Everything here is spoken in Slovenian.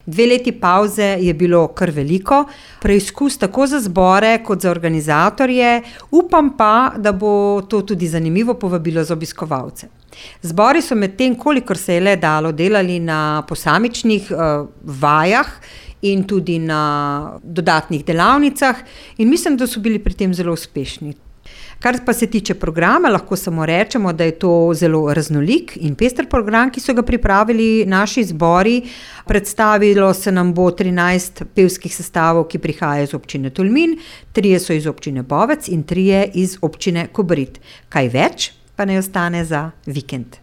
2 leti pavze je bilo kar veliko, preizkus tako za zbore kot za organizatorje, upam pa, da bo to tudi zanimivo povabilo za obiskovalce. Zbori so med tem, kolikor se je le dalo, delali na posamičnih vajah in tudi na dodatnih delavnicah in mislim, da so bili pri tem zelo uspešni. Kar pa se tiče programa, lahko samo rečemo, da je to zelo raznolik in pester program, ki so ga pripravili naši zbori. Predstavilo se nam bo 13 pevskih sestavov, ki prihajajo iz občine Tolmin, 3 so iz občine Bovec in 3 iz občine Kobarid. Kaj več pa ne ostane za vikend.